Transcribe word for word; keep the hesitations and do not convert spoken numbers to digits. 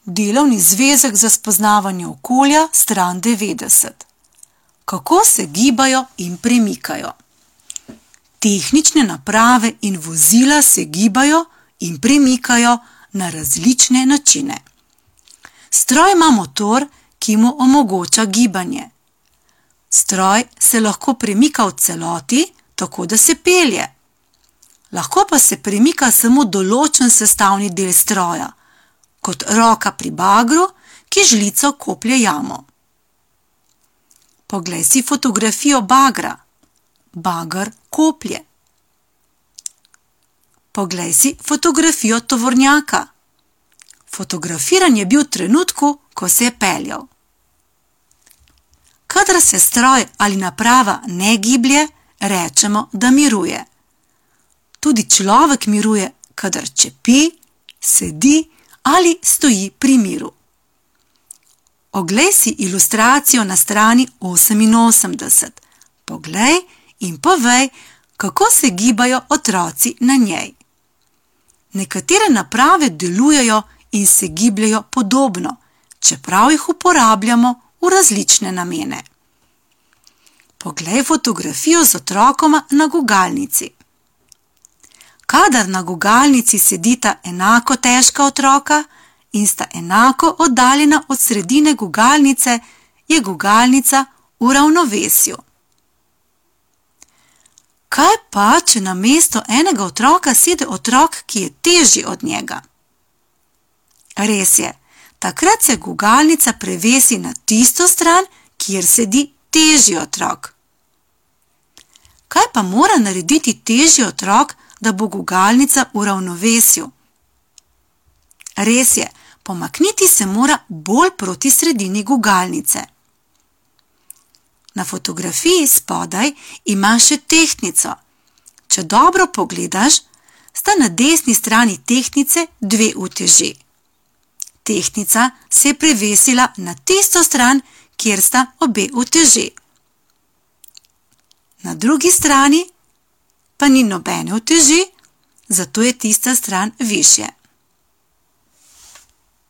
Delovni zvezek za spoznavanje okolja, stran devetdeset. Kako se gibajo in premikajo? Tehnične naprave in vozila se gibajo in premikajo na različne načine. Stroj ima motor, ki mu omogoča gibanje. Stroj se lahko premika v celoti, tako da se pelje. Lahko pa se premika samo določen sestavni del stroja, kot roka pri bagru, ki žlico koplje jamo. Poglej si fotografijo bagra. Bager koplje. Poglej si fotografijo tovornjaka. Fotografiran je bil v trenutku, ko se je peljal. Kadar se stroj ali naprava ne giblje, rečemo, da miruje. Tudi človek miruje, kadar čepi, sedi ali stoji pri miru. Oglej si ilustracijo na strani oseminosemdeset. Poglej in povej, kako se gibajo otroci na njej. Nekatere naprave delujejo in se gibljajo podobno, čeprav jih uporabljamo v različne namene. Poglej fotografijo z otrokoma na gugalnici. Kadar na gugalnici sedita enako težka otroka in sta enako oddaljena od sredine gugalnice, je gugalnica v ravnovesju. Kaj pa, če namesto enega otroka sede otrok, ki je težji od njega? Res je, takrat se gugalnica prevesi na tisto stran, kjer sedi težji otrok. Kaj pa mora narediti težji otrok, da bo gugalnica v ravnovesju? Res je, pomakniti se mora bolj proti sredini gugalnice. Na fotografiji spodaj ima še tehtnico. Če dobro pogledaš, sta na desni strani tehtnice dve uteži. Tehtnica se je prevesila na tisto stran, kjer sta obe uteži. Na drugi strani pa ni nobene uteži, zato je tista stran višje.